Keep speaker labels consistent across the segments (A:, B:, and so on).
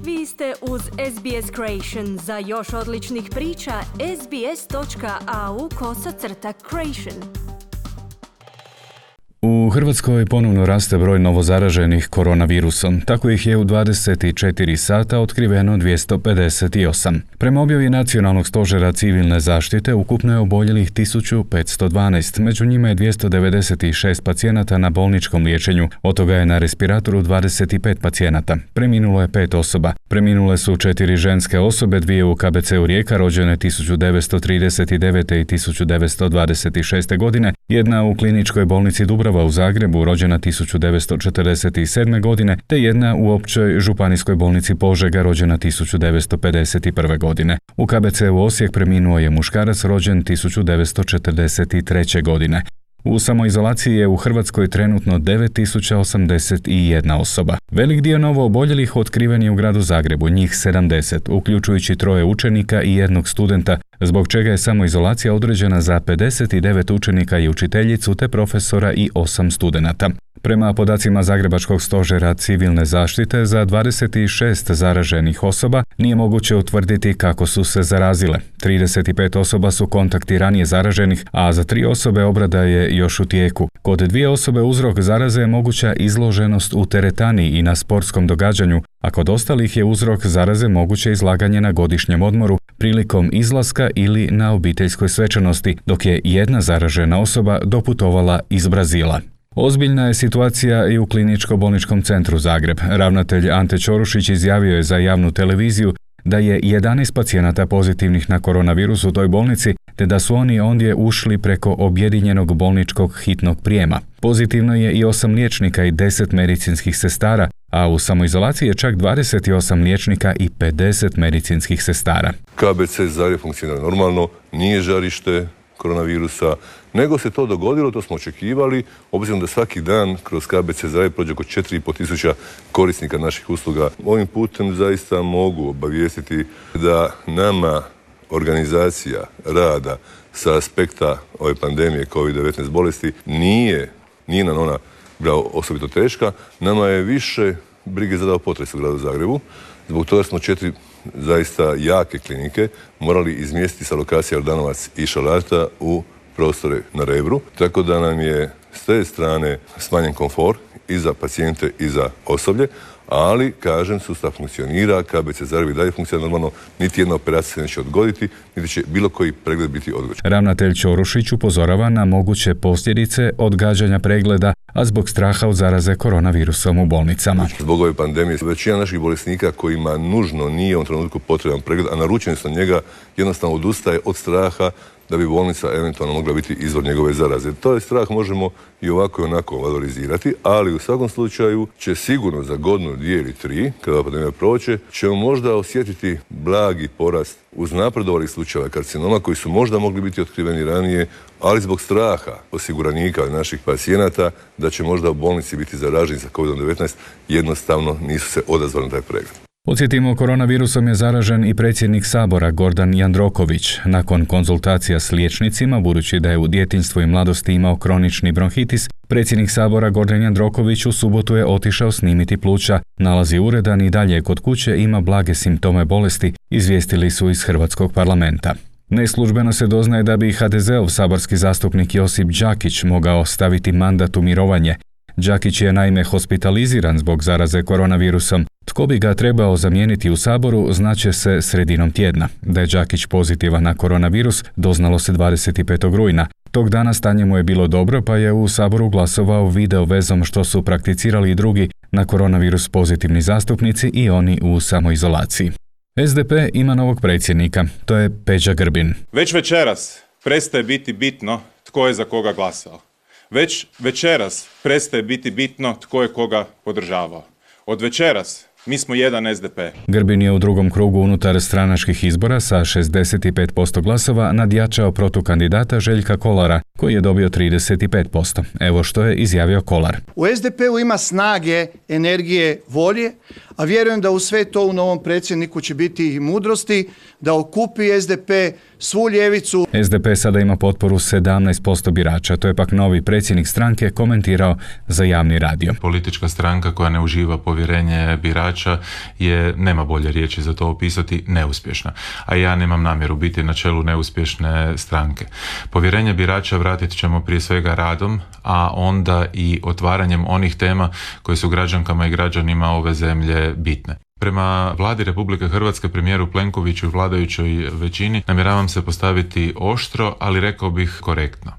A: Vi ste uz SBS Creation. Za još odličnih priča, sbs.au/creation.
B: U Hrvatskoj ponovno raste broj novozaraženih koronavirusom. Tako ih je u 24 sata otkriveno 258. Prema objavi Nacionalnog stožera civilne zaštite ukupno je oboljelih 1512. Među njima je 296 pacijenata na bolničkom liječenju. Od toga je na respiratoru 25 pacijenata. Preminulo je 5 osoba. Preminule su 4 ženske osobe, 2 u KBC-u Rijeka rođene 1939. i 1926. godine, jedna u kliničkoj bolnici Dubrava u Zagrebu rođena 1947. godine, te jedna u općoj županijskoj bolnici Požega rođena 1951. godine. U KBC-u Osijek preminuo je muškarac rođen 1943. godine. U samoizolaciji je u Hrvatskoj trenutno 9081 osoba. Velik dio novo oboljelih otkriven je u gradu Zagrebu, njih 70, uključujući 3 učenika i 1 studenta, zbog čega je samoizolacija određena za 59 učenika i učiteljicu te profesora i 8 studenata. Prema podacima Zagrebačkog stožera civilne zaštite, za 26 zaraženih osoba nije moguće utvrditi kako su se zarazile. 35 osoba su kontakti ranije zaraženih, a za 3 osobe obrada je još u tijeku. Kod 2 osobe uzrok zaraze je moguća izloženost u teretani i na sportskom događanju, a kod ostalih je uzrok zaraze moguće izlaganje na godišnjem odmoru, prilikom izlaska ili na obiteljskoj svečanosti, dok je 1 zaražena osoba doputovala iz Brazila. Ozbiljna je situacija i u Kliničko-bolničkom centru Zagreb. Ravnatelj Ante Ćorušić izjavio je za javnu televiziju da je 11 pacijenata pozitivnih na koronavirus u toj bolnici, te da su oni ondje ušli preko objedinjenog bolničkog hitnog prijema. Pozitivno je i 8 liječnika i 10 medicinskih sestara, a u samoizolaciji je čak 28 liječnika i 50 medicinskih sestara.
C: KBC Zagreb funkcionira normalno, nije žarište koronavirusa, nego se to dogodilo, to smo očekivali, obzirom da svaki dan kroz KBC Zagreb prođe oko 4.500 korisnika naših usluga. Ovim putem zaista mogu obavijestiti da nama organizacija rada sa aspekta ove pandemije COVID-19 bolesti nije nam ona osobito teška. Nama je više brige zadao potres u gradu Zagrebu. Zbog toga smo 4 zaista jake klinike morali izmjestiti sa lokacije Jordanovac i Šalata u prostore na Rebru, tako da nam je s te strane smanjen komfor i za pacijente i za osoblje, ali, kažem, sustav funkcionira, KBC Zagreb i dalje funkcionira normalno, niti jedna operacija se neće odgoditi, niti će bilo koji pregled biti odgođen.
B: Ravnatelj Ćorušić upozorava na moguće posljedice odgađanja pregleda, a zbog straha od zaraze koronavirusom u bolnicama.
C: Zbog ove pandemije većina naših bolesnika kojima nužno nije u trenutku potreban pregled, a naručeni su na njega, jednostavno odustaje od straha da bi bolnica eventualno mogla biti izvor njegove zaraze. To je strah možemo i ovako i onako valorizirati, ali u svakom slučaju će sigurno za godinu, 2 ili 3, kada pandemija prođe, ćemo možda osjetiti blagi porast uz napredovalih slučajeva karcinoma koji su možda mogli biti otkriveni ranije, ali zbog straha osiguranika naših pacijenata da će možda u bolnici biti zaraženi sa COVID-19, jednostavno nisu se odazvali na taj pregled.
B: Podsjetimo, koronavirusom je zaražen i predsjednik Sabora Gordan Jandroković. Nakon konzultacija s liječnicima, budući da je u djetinjstvu i mladosti imao kronični bronhitis, predsjednik Sabora Gordan Jandroković u subotu je otišao snimiti pluća. Nalazi uredan i dalje kod kuće, ima blage simptome bolesti, izvijestili su iz Hrvatskog parlamenta. Neslužbeno se doznaje da bi HDZ-ov saborski zastupnik Josip Đakić mogao staviti mandat u mirovanje. Đakić je naime hospitaliziran zbog zaraze koronavirusom. Tko bi ga trebao zamijeniti u Saboru, znaće se sredinom tjedna. Da je Đakić pozitivan na koronavirus, doznalo se 25. rujna. Tog dana stanje mu je bilo dobro, pa je u Saboru glasovao video vezom što su prakticirali i drugi na koronavirus pozitivni zastupnici i oni u samoizolaciji. SDP ima novog predsjednika, to je Peđa Grbin.
D: Već večeras prestaje biti bitno tko je za koga glasao. Već večeras prestaje biti bitno tko je koga podržavao. Od večeras mi smo jedan SDP.
B: Grbin je u drugom krugu unutar stranačkih izbora sa 65% glasova nadjačao protukandidata Željka Kolara, koji je dobio 35%. Evo što je izjavio Kolar.
E: U SDP-u ima snage, energije, volje, a vjerujem da u sve to u novom predsjedniku će biti i mudrosti da okupi SDP, svu ljevicu.
B: SDP sada ima potporu 17% birača, to je pak novi predsjednik stranke komentirao za javni radio.
F: Politička stranka koja ne uživa povjerenje birača je, nema bolje riječi za to opisati, neuspješna. A ja nemam namjeru biti na čelu neuspješne stranke. Povjerenje birača vratit ćemo prije svega radom, a onda i otvaranjem onih tema koje su građankama i građanima ove zemlje bitne. Prema vladi Republike Hrvatske, premijeru Plenkoviću i vladajućoj većini namjeravam se postaviti oštro, ali rekao bih korektno.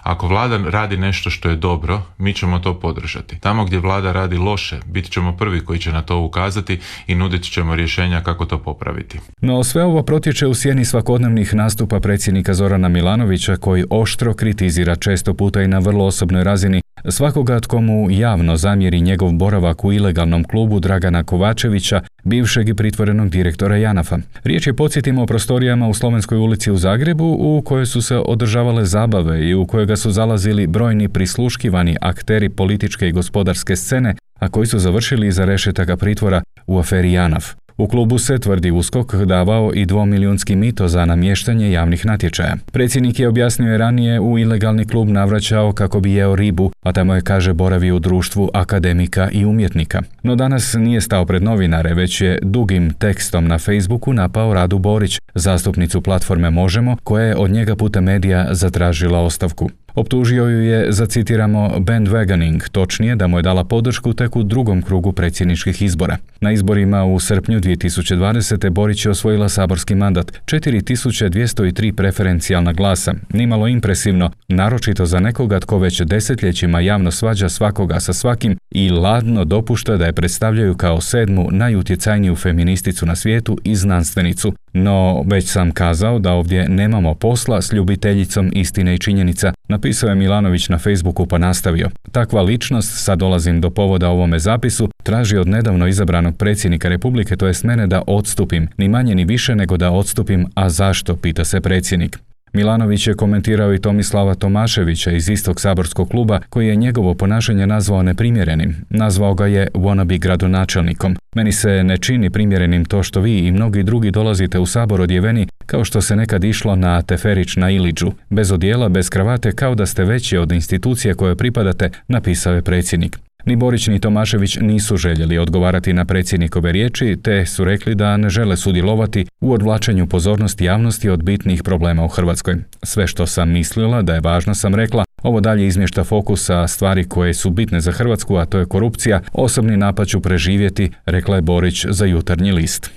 F: Ako vlada radi nešto što je dobro, mi ćemo to podržati. Tamo gdje vlada radi loše, bit ćemo prvi koji će na to ukazati i nudit ćemo rješenja kako to popraviti.
B: No sve ovo protječe u sjeni svakodnevnih nastupa predsjednika Zorana Milanovića, koji oštro kritizira često puta i na vrlo osobnoj razini svakoga tko mu javno zamjeri njegov boravak u ilegalnom klubu Dragana Kovačevića, bivšeg i pritvorenog direktora JANAF-a. Riječ je, podsjetimo, o prostorijama u Slovenskoj ulici u Zagrebu u kojoj su se održavale zabave i u kojega su zalazili brojni prisluškivani akteri političke i gospodarske scene, a koji su završili iza rešetaka pritvora u aferi JANAF. U klubu se, tvrdi USKOK, davao i 2-milijunski mito za namještanje javnih natječaja. Predsjednik je, objasnio je ranije, u ilegalni klub navraćao kako bi jeo ribu, a tamo je, kaže, boravio u društvu akademika i umjetnika. No danas nije stao pred novinare, već je dugim tekstom na Facebooku napao Radu Borić, zastupnicu platforme Možemo, koja je od njega putem medija zatražila ostavku. Optužio ju je za, citiramo, bandwagoning, točnije da mu je dala podršku tek u drugom krugu predsjedničkih izbora. Na izborima u srpnju 2020. Borić je osvojila saborski mandat, 4203 preferencijalna glasa, nimalo impresivno, naročito za nekoga tko već desetljećima javno svađa svakoga sa svakim i ladno dopušta da je predstavljaju kao 7. najutjecajniju feministicu na svijetu i znanstvenicu. No, već sam kazao da ovdje nemamo posla s ljubiteljicom istine i činjenica, napisao je Milanović na Facebooku pa nastavio. Takva ličnost, sad dolazim do povoda ovome zapisu, traži od nedavno izabranog predsjednika Republike, to jest mene, da odstupim, ni manje ni više nego da odstupim, a zašto, pita se predsjednik. Milanović je komentirao i Tomislava Tomaševića iz istog saborskog kluba, koji je njegovo ponašanje nazvao neprimjerenim. Nazvao ga je wannabe gradonačelnikom. Meni se ne čini primjerenim to što vi i mnogi drugi dolazite u sabor odjeveni kao što se nekad išlo na Teferić na Iliđu. Bez odijela, bez kravate, kao da ste veći od institucije koje pripadate, napisao je predsjednik. Ni Borić ni Tomašević nisu željeli odgovarati na predsjednikove riječi, te su rekli da ne žele sudjelovati u odvlačenju pozornosti javnosti od bitnih problema u Hrvatskoj. Sve što sam mislila da je važno sam rekla, ovo dalje izmješta fokus sa stvari koje su bitne za Hrvatsku, a to je korupcija, osobni napad ću preživjeti, rekla je Borić za Jutarnji list.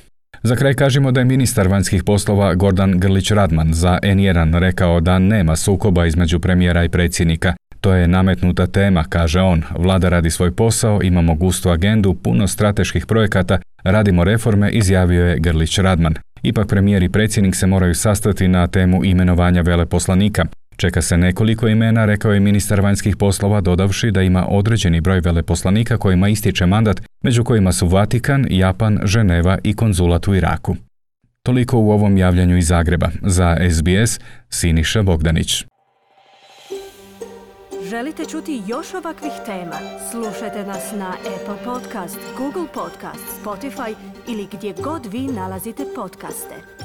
B: Za kraj kažemo da je ministar vanjskih poslova Gordan Grlić Radman za N1 rekao da nema sukoba između premijera i predsjednika. To je nametnuta tema, kaže on. Vlada radi svoj posao, imamo gustu agendu, puno strateških projekata, radimo reforme, izjavio je Grlić Radman. Ipak premijer i predsjednik se moraju sastati na temu imenovanja veleposlanika. Čeka se nekoliko imena, rekao je ministar vanjskih poslova, dodavši da ima određeni broj veleposlanika kojima ističe mandat, među kojima su Vatikan, Japan, Ženeva i konzulat u Iraku. Toliko u ovom javljanju iz Zagreba. Za SBS, Siniša Bogdanić.
A: Želite čuti još ovakvih tema? Slušajte nas na Apple Podcast, Google Podcast, Spotify ili gdje god vi nalazite podcaste.